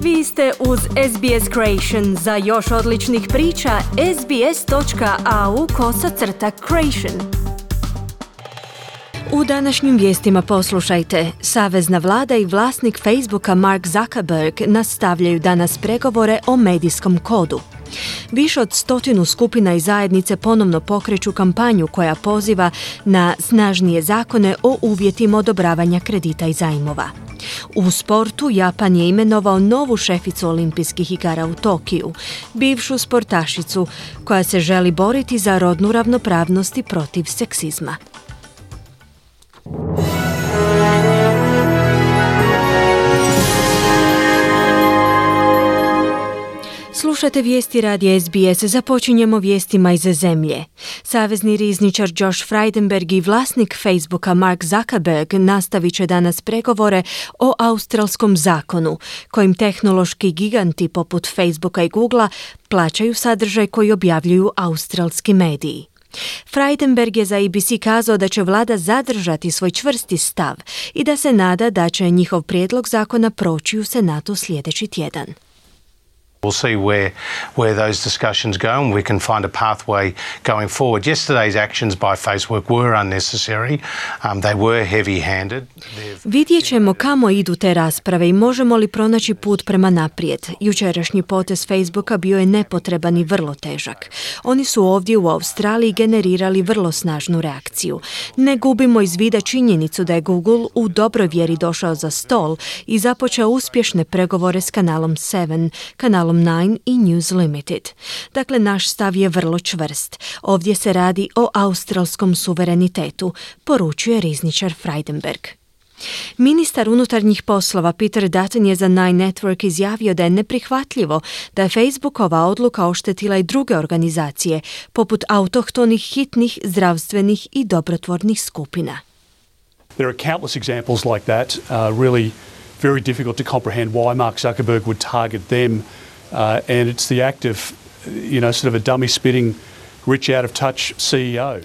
Vi ste uz SBS Creation. Za još odličnih priča, sbs.au/creation. U današnjim vijestima poslušajte. Savezna vlada i vlasnik Facebooka Mark Zuckerberg nastavljaju danas pregovore o medijskom kodu. Više od 100 skupina i zajednice ponovno pokreću kampanju koja poziva na snažnije zakone o uvjetima odobravanja kredita i zajmova. U sportu Japan je imenovao novu šeficu olimpijskih igara u Tokiju, bivšu sportašicu koja se želi boriti za rodnu ravnopravnost i protiv seksizma. Slušate vijesti radija SBS. Započinjemo vijestima iz zemlje. Savezni rizničar Josh Frydenberg i vlasnik Facebooka Mark Zuckerberg nastavit će danas pregovore o australskom zakonu, kojim tehnološki giganti poput Facebooka i Googlea plaćaju sadržaj koji objavljuju australski mediji. Frydenberg je za ABC kazao da će vlada zadržati svoj čvrsti stav i da se nada da će njihov prijedlog zakona proći u Senatu sljedeći tjedan. We'll see where those discussions go and we can find a pathway going forward. Yesterday's actions by Facebook were unnecessary. They were heavy-handed. Vidjet ćemo kamo idu te rasprave i možemo li pronaći put prema naprijed. Jučerašnji potez Facebooka bio je nepotreban i vrlo težak. Oni su ovdje u Australiji generirali vrlo snažnu reakciju. Ne gubimo iz vida činjenicu da je Google u dobroj vjeri došao za stol i započeo uspješne pregovore s kanalom 7, kanalom 9 i News Limited. Dakle, naš stav je vrlo čvrst. Ovdje se radi o australskom suverenitetu, poručuje rizničar Frydenberg. Ministar unutarnjih poslova Peter Dutton je za Nine Network izjavio da je neprihvatljivo da je Facebookova odluka oštetila i druge organizacije, poput autohtonih, hitnih, zdravstvenih i dobrotvornih skupina. There are countless examples like that, really very difficult to comprehend why Mark Zuckerberg would target them. And it's the act of, sort of a dummy spitting, rich out of touch CEO.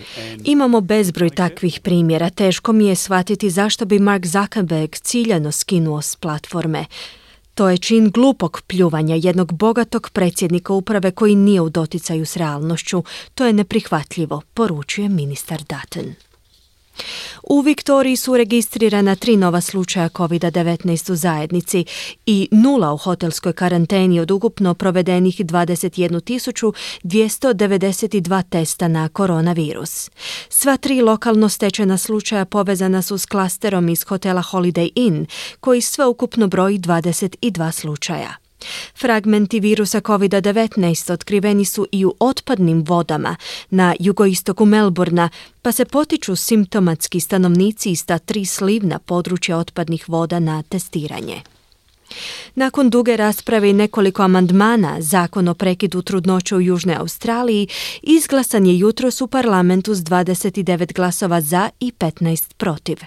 Imamo bezbroj takvih primjera. Teško mi je shvatiti zašto bi Mark Zuckerberg ciljano skinuo s platforme. To je čin glupog pljuvanja jednog bogatog predsjednika uprave koji nije u doticaju s realnošću. To je neprihvatljivo, poručuje ministar Dutton. U Viktoriji su registrirana 3 nova slučaja COVID-19 u zajednici i 0 u hotelskoj karanteni od ukupno provedenih 21.292 testa na koronavirus. Sva 3 lokalno stečena slučaja povezana su s klasterom iz hotela Holiday Inn, koji sveukupno broji 22 slučaja. Fragmenti virusa COVID-19 otkriveni su i u otpadnim vodama na jugoistoku Melbourna, pa se potiču simptomatski stanovnici iz ta 3 slivna područja otpadnih voda na testiranje. Nakon duge rasprave i nekoliko amandmana, zakon o prekidu trudnoće u Južnoj Australiji izglasan je jutros u parlamentu s 29 glasova za i 15 protiv.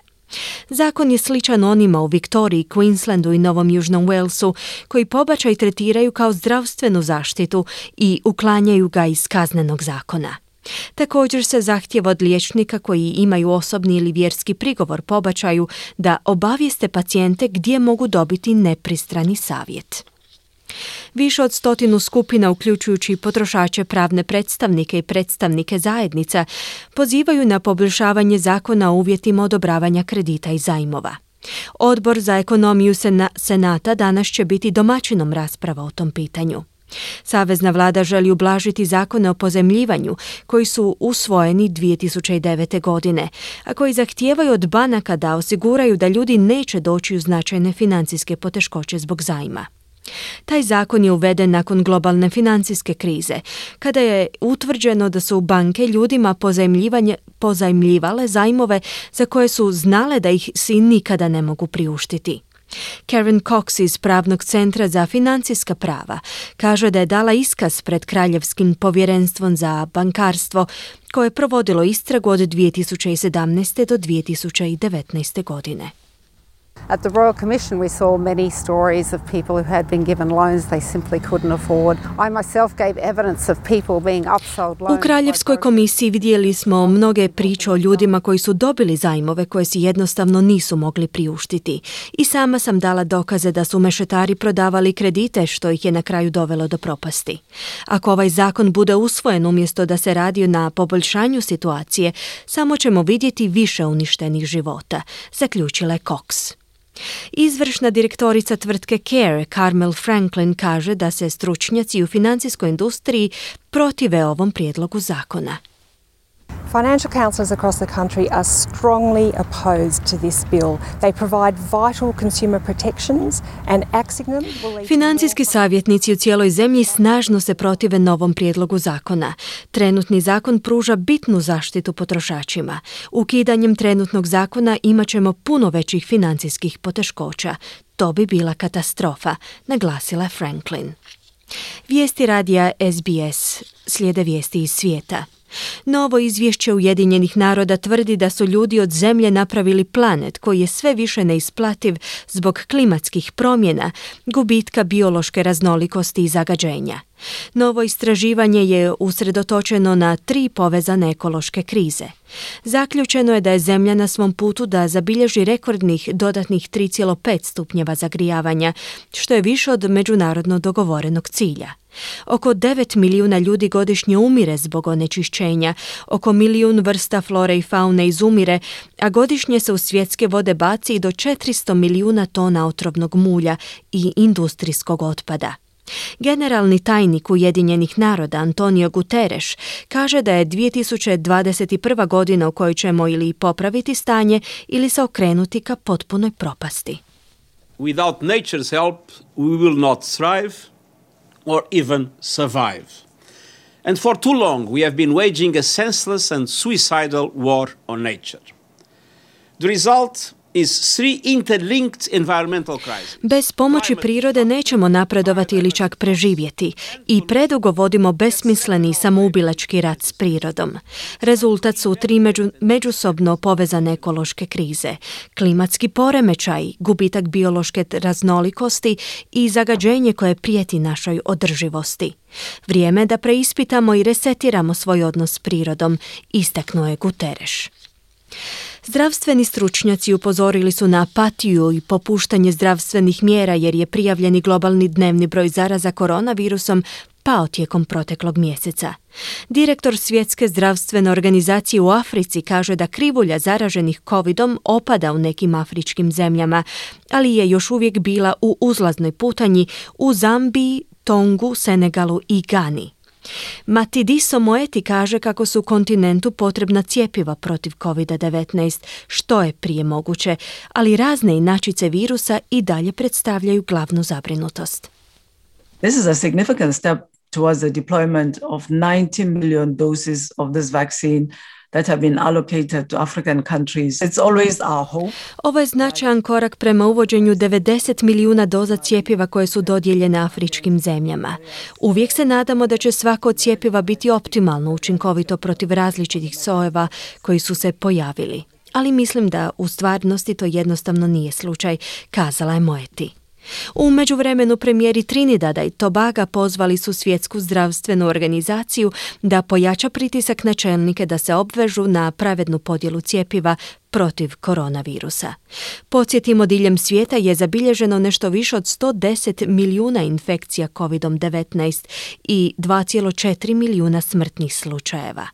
Zakon je sličan onima u Viktoriji, Queenslandu i Novom Južnom Walesu, koji pobačaj tretiraju kao zdravstvenu zaštitu i uklanjaju ga iz kaznenog zakona. Također se zahtijeva od liječnika koji imaju osobni ili vjerski prigovor pobačaju da obavijeste pacijente gdje mogu dobiti nepristrani savjet. Više od 100 skupina, uključujući potrošače, pravne predstavnike i predstavnike zajednica, pozivaju na poboljšavanje zakona o uvjetima odobravanja kredita i zajmova. Odbor za ekonomiju Senata danas će biti domaćinom rasprava o tom pitanju. Savezna vlada želi ublažiti zakone o pozajmljivanju koji su usvojeni 2009. godine, a koji zahtijevaju od banaka da osiguraju da ljudi neće doći u značajne financijske poteškoće zbog zajma. Taj zakon je uveden nakon globalne financijske krize, kada je utvrđeno da su banke ljudima pozajmljivale zajmove za koje su znale da ih si nikada ne mogu priuštiti. Karen Cox iz Pravnog centra za financijska prava kaže da je dala iskaz pred Kraljevskim povjerenstvom za bankarstvo koje je provodilo istragu od 2017. do 2019. godine. At the Royal Commission we saw many stories of people who had been given loans they simply couldn't afford. I myself gave evidence of people being upsold loans. U Kraljevskoj komisiji vidjeli smo mnoge priče o ljudima koji su dobili zajmove koje si jednostavno nisu mogli priuštiti. I sama sam dala dokaze da su mešetari prodavali kredite što ih je na kraju dovelo do propasti. Ako ovaj zakon bude usvojen umjesto da se radi na poboljšanju situacije, samo ćemo vidjeti više uništenih života, zaključila je Cox. Izvršna direktorica tvrtke Care, Carmel Franklin, kaže da se stručnjaci u financijskoj industriji protive ovom prijedlogu zakona. Financial counsellors across the country are strongly opposed to this bill. They provide vital consumer protections and axing them will lead to... Financijski savjetnici u cijeloj zemlji snažno se protive novom prijedlogu zakona. Trenutni zakon pruža bitnu zaštitu potrošačima. Ukidanjem trenutnog zakona imat ćemo puno većih financijskih poteškoća. To bi bila katastrofa, naglasila je Franklin. Vijesti radija SBS, slijede vijesti iz svijeta. Novo izvješće Ujedinjenih naroda tvrdi da su ljudi od Zemlje napravili planet koji je sve više neisplativ zbog klimatskih promjena, gubitka biološke raznolikosti i zagađenja. Novo istraživanje je usredotočeno na 3 povezane ekološke krize. Zaključeno je da je Zemlja na svom putu da zabilježi rekordnih dodatnih 3,5 stupnjeva zagrijavanja, što je više od međunarodno dogovorenog cilja. Oko 9 milijuna ljudi godišnje umire zbog onečišćenja, oko 1 milijun vrsta flore i faune izumire, a godišnje se u svjetske vode baci i do 400 milijuna tona otrovnog mulja i industrijskog otpada. Generalni tajnik Ujedinjenih naroda Antonio Guterres kaže da je 2021. godina u kojoj ćemo ili popraviti stanje ili se okrenuti ka potpunoj propasti. Without nature's help, we will not thrive or even survive. And for too long we have been waging a senseless and suicidal war on nature. The result is 3 interlinked environmental crises. Bez pomoći prirode nećemo napredovati ili čak preživjeti i predugo vodimo besmisleni i samoubilački rat s prirodom. Rezultat su 3 međusobno povezane ekološke krize, klimatski poremećaj, gubitak biološke raznolikosti i zagađenje koje prijeti našoj održivosti. Vrijeme je da preispitamo i resetiramo svoj odnos s prirodom, istaknuo je Guterres. Zdravstveni stručnjaci upozorili su na apatiju i popuštanje zdravstvenih mjera jer je prijavljeni globalni dnevni broj zaraza koronavirusom pao tijekom proteklog mjeseca. Direktor Svjetske zdravstvene organizacije u Africi kaže da krivulja zaraženih covidom opada u nekim afričkim zemljama, ali je još uvijek bila u uzlaznoj putanji u Zambiji, Tongu, Senegalu i Gani. Matidiso Moeti kaže kako su kontinentu potrebna cjepiva protiv COVID-19, što je prije moguće, ali razne inačice virusa i dalje predstavljaju glavnu zabrinutost. This is a significant step towards the deployment of 90 million doses of this vaccine that have been allocated to African countries. It's always our hope. Ovo je značajan korak prema uvođenju 90 milijuna doza cjepiva koje su dodijeljene afričkim zemljama. Uvijek se nadamo da će svako od cjepiva biti optimalno učinkovito protiv različitih sojeva koji su se pojavili. Ali mislim da u stvarnosti to jednostavno nije slučaj, kazala je Moeti. U međuvremenu premijeri Trinidada i Tobaga pozvali su Svjetsku zdravstvenu organizaciju da pojača pritisak na čelnike da se obvežu na pravednu podjelu cjepiva protiv koronavirusa. Podsjetimo, diljem svijeta je zabilježeno nešto više od 110 milijuna infekcija COVID-19 i 2,4 milijuna smrtnih slučajeva.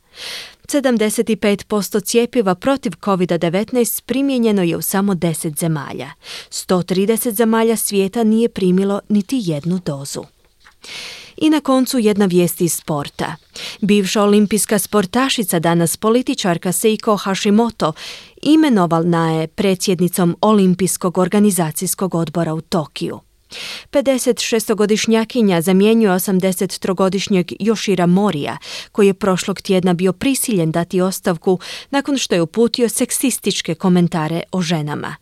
75% cjepiva protiv COVID-19 primijenjeno je u samo 10 zemalja. 130 zemalja svijeta nije primilo niti jednu dozu. I na koncu jedna vijest iz sporta. Bivša olimpijska sportašica, danas političarka Seiko Hashimoto, imenovana je predsjednicom Olimpijskog organizacijskog odbora u Tokiju. 56-godišnjakinja zamjenjuje 83-godišnjeg Yoshira Morija, koji je prošlog tjedna bio prisiljen dati ostavku nakon što je uputio seksističke komentare o ženama.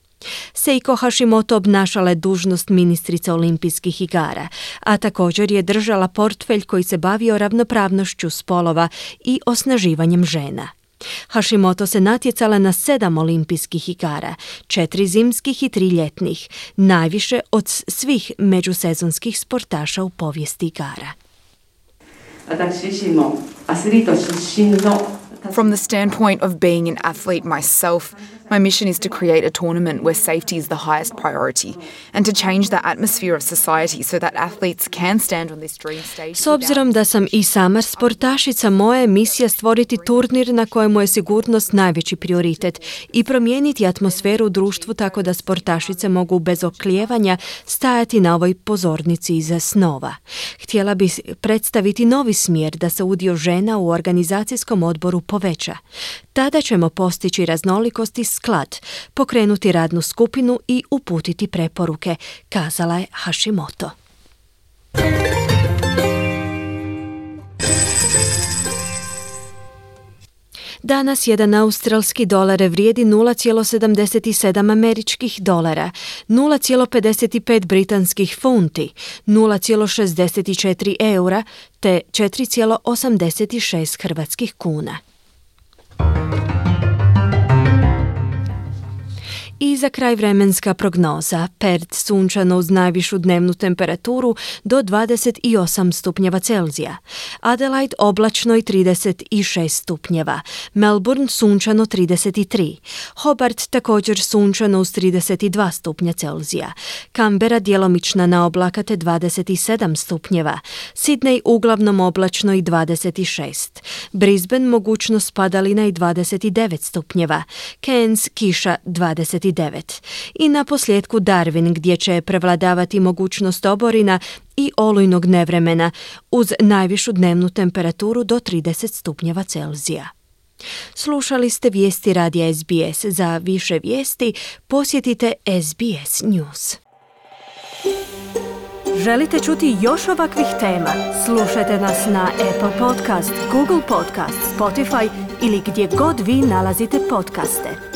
Seiko Hashimoto obnašala je dužnost ministrice olimpijskih igara, a također je držala portfelj koji se bavio ravnopravnošću spolova i osnaživanjem žena. Hashimoto se natjecala na 7 olimpijskih igara, 4 zimskih i 3 ljetnih, najviše od svih međusezonskih sportaša u povijesti igara. From the standpoint of being an athlete myself, my mission is to create a tournament where safety is the highest priority and to change the atmosphere of society so that athletes can stand on this dream stage. S obzirom da sam i sama sportašica, moja je misija stvoriti turnir na kojemu je sigurnost najveći prioritet i promijeniti atmosferu u društvu tako da sportašice mogu bez oklijevanja stajati na ovoj pozornici iza snova. Htjela bih predstaviti novi smjer da se udio žena u organizacijskom odboru poveća. Tada ćemo postići raznolikost i sklad, pokrenuti radnu skupinu i uputiti preporuke, kazala je Hashimoto. Danas jedan australski dolar vrijedi 0,77 američkih dolara, 0,55 britanskih funti, 0,64 eura te 4,86 hrvatskih kuna. I za kraj vremenska prognoza. Perth sunčano uz najvišu dnevnu temperaturu do 28 stupnjeva Celzija. Adelaide oblačno i 36 stupnjeva. Melbourne sunčano 33. Hobart također sunčano uz 32 stupnja Celzija. Canberra djelomična na oblakate 27 stupnjeva. Sydney uglavnom oblačno i 26. Brisbane mogućnost padalina i 29 stupnjeva. Cairns kiša 29. I na posljedku Darwin gdje će prevladavati mogućnost oborina i olujnog nevremena uz najvišu dnevnu temperaturu do 30 stupnjeva Celzija. Slušali ste vijesti radija SBS. Za više vijesti posjetite SBS News. Želite čuti još ovakvih tema? Slušajte nas na Apple Podcast, Google Podcast, Spotify ili gdje god vi nalazite podcaste.